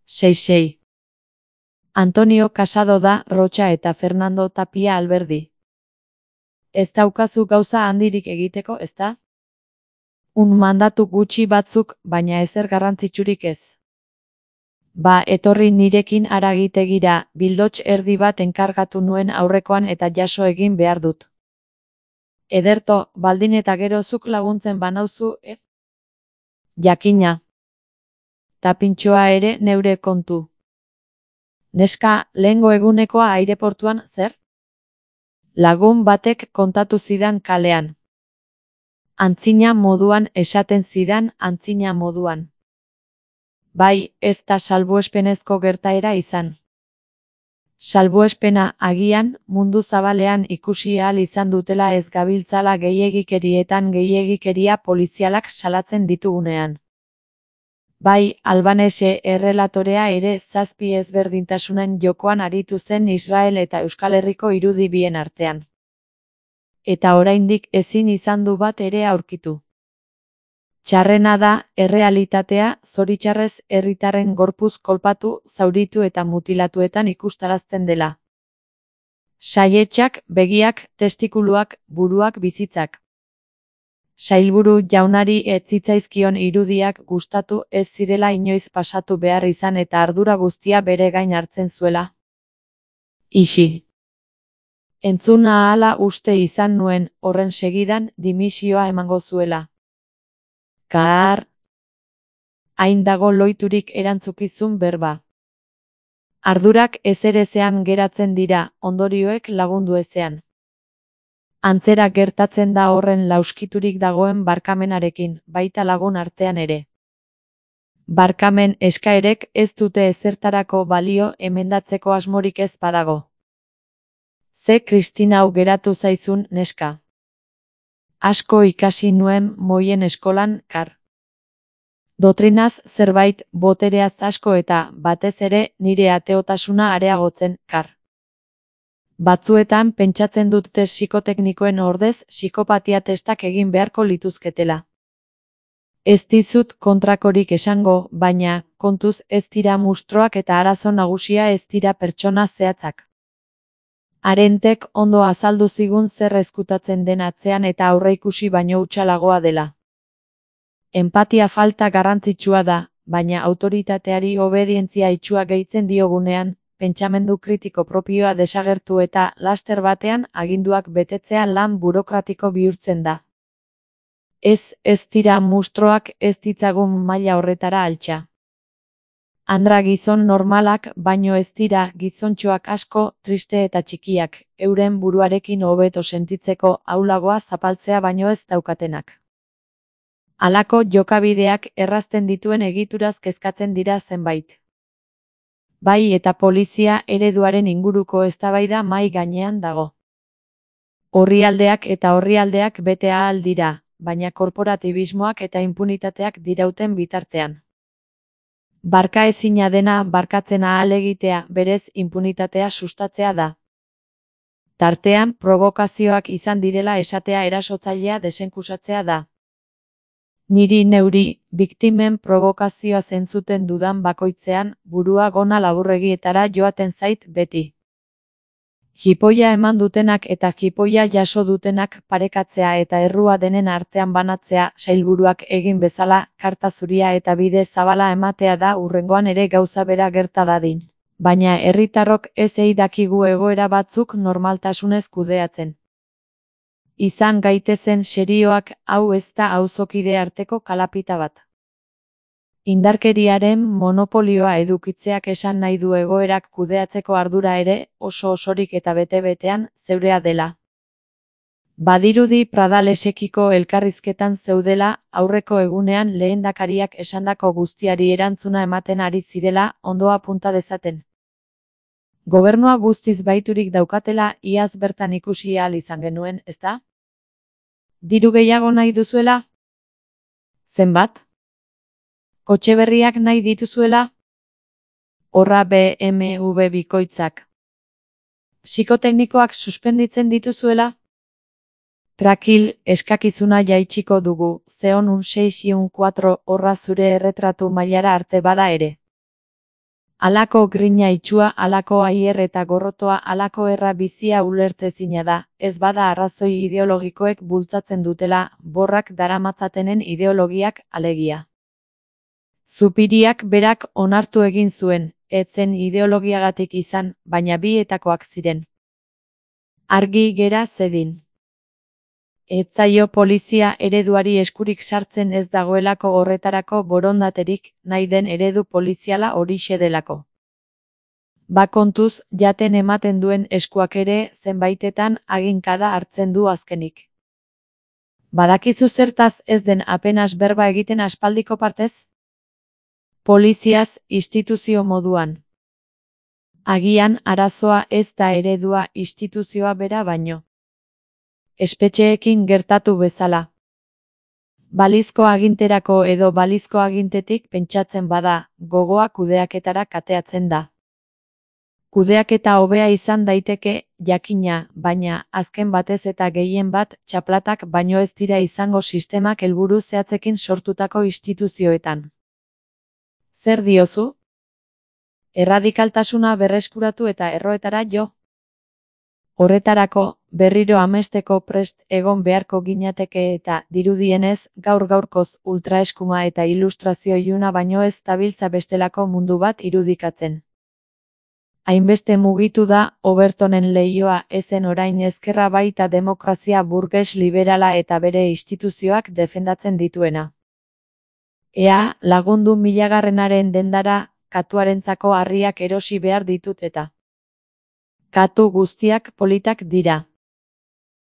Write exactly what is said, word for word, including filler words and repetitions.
sei sei. Antonio Casado da Rocha eta Fernando Tapia Alberdi. Ez daukazu gauza handirik egiteko, ezta? Un mandatu gutxi batzuk, baina ezer garrantzitsurik ez. Ba, etorri nirekin haragitegira, bildots erdi bat enkargatu nuen aurrekoan eta jaso egin behar dut. Ederto, baldin eta gero zuk laguntzen banauzu, e? Jakina. Tapintxoa ere neure kontu. Neska, lehengo egunekoa aireportuan, zer? Lagun batek kontatu zidan kalean. Antzina moduan esaten zidan antzina moduan. Bai, ez da salbuespenezko gertaera izan. Salbuespena agian mundu zabalean ikusi ahal izan dutela ez gabiltzala gehiegikerietan gehiegikeria polizialak salatzen ditugunean. Bai, Albanese errelatorea ere zazpi ezberdintasunen jokoan aritu zen Israel eta Euskal Herriko irudi bien artean. Eta oraindik ezin izan du bat ere aurkitu. Txarrena da, errealitatea, zoritxarrez herritarren gorpuz kolpatu, zauritu eta mutilatuetan ikustarazten dela. Saietxak, begiak, testikuluak, buruak bizitzak. Sailburu jaunari ez zitzaizkion irudiak gustatu ez zirela inoiz pasatu behar izan eta ardura guztia bere gain hartzen zuela. Ixi. Entzuna ahala uste izan nuen, horren segidan, dimisioa emango zuela. Kaar. Hain dago loiturik erantzukizun berba. Ardurak ezerezean geratzen dira, ondorioek lagundu ezean. Antzera gertatzen da horren lauskiturik dagoen barkamenarekin, baita lagun artean ere. Barkamen eskaerek ez dute ezertarako balio emendatzeko asmorik ez badago. Ze Kristinau geratu zaizun, neska. Asko ikasi nuen moien eskolan, kar. Dotrinaz zerbait, botereaz asko eta, batez ere, nire ateotasuna areagotzen, kar. Batzuetan pentsatzen dute psikoteknikoen ordez psikopatia testak egin beharko lituzketela. Ez dizut kontrakorik esango, baina, kontuz ez dira mustroak eta arazo nagusia ez dira pertsona zehatzak. Arentek ondo azaldu zigun zer ezkutatzen den atzean eta aurreikusi baino hutsalagoa dela. Enpatia falta garrantzitsua da, baina autoritateari obedientzia itsua gehitzen diogunean, pentsamendu kritiko propioa desagertu eta, laster batean, aginduak betetzea lan burokratiko bihurtzen da. Ez, ez dira mustroak ez ditzagun maila horretara altxa. Andra gizon normalak, baino ez dira gizontxoak asko, triste eta txikiak, euren buruarekin hobeto sentitzeko ahulagoa zapaltzea baino ez daukatenak. Halako jokabideak errazten dituen egituraz kezkatzen dira zenbait. Bai eta polizia ereduaren inguruko eztabaida mahai gainean dago. Orrialdeak eta orrialdeak bete ahal dira, baina korporatibismoak eta impunitateak dirauten bitartean. Barka ezina dena barkatzen ahal egitea, berez impunitatea sustatzea da. Tartean, provokazioak izan direla esatea erasotzailea desenkusatzea da. Niri neuri, biktimen provokazioa zentzuten dudan bakoitzean, burua gona laburregietara joaten zait beti. Jipoia eman dutenak eta jipoia jaso dutenak parekatzea eta errua denen artean banatzea sailburuak egin bezala, karta zuria eta bide zabala ematea da hurrengoan ere gauza bera gerta dadin. Baina herritarrok ez ei dakigu egoera batzuk normaltasunez kudeatzen. Izan gaitezen serioak, hau ez da auzokide arteko kalapita bat. Indarkeriaren monopolioa edukitzeak esan nahi du egoerak kudeatzeko ardura ere, oso osorik eta bete-betean, zeurea dela. Badirudi Pradalesekiko elkarrizketan zeudela, aurreko egunean lehendakariak esandako guztiari erantzuna ematen ari zirela, ondoa punta dezaten. Gobernua guztiz baiturik daukatela, iaz bertan ikusi ahal izan genuen, ezta? Diru gehiago nahi duzuela? Zenbat? Kotxe berriak nahi dituzuela? Horra B M W bikoitzak. Psikoteknikoak suspenditzen dituzuela? Trakil, eskakizuna jaitsiko dugu, zeon un sei un kuatro horra zure erretratu mailara arte bada ere. Halako grina itsua, halako aier eta gorrotoa, halako erra bizia ulertezina da, ez bada arrazoi ideologikoek bultzatzen dutela, borrak daramatzatenen ideologiak alegia. Zupiriak berak onartu egin zuen, ez zen ideologiagatik izan, baina bietakoak ziren. Argi gera zedin. Ez zaio polizia ereduari eskurik sartzen ez dagoelako horretarako borondaterik, nahi den eredu poliziala horixe delako. Bakontuz, jaten ematen duen eskuak ere, zenbaitetan aginkada hartzen du azkenik. Badakizu zertaz ez den apenas berba egiten aspaldiko partez? Poliziaz, instituzio moduan. Agian arazoa ez da eredua instituzioa bera baino. Espetxeekin gertatu bezala. Balizko aginterako edo balizko agintetik pentsatzen bada, gogoa kudeaketara kateatzen da. Kudeaketa hobea izan daiteke, jakina, baina, azken batez eta gehien bat, txaplatak baino ez dira izango sistemak helburu zehatzekin sortutako instituzioetan. Zer diozu? Erradikaltasuna berreskuratu eta erroetara jo? Horretarako, berriro amesteko prest egon beharko ginateke eta, dirudienez, gaur-gaurkoz ultraeskuma eta ilustrazio iluna baino ez dabiltza bestelako mundu bat irudikatzen. Hainbeste mugitu da, Overtonen leihoa ezen orain ezkerra baita demokrazia burges liberala eta bere instituzioak defendatzen dituena. Ea, lagundu milagarrenaren dendara, katuarentzako harriak erosi behar ditut eta. Katu guztiak politak dira.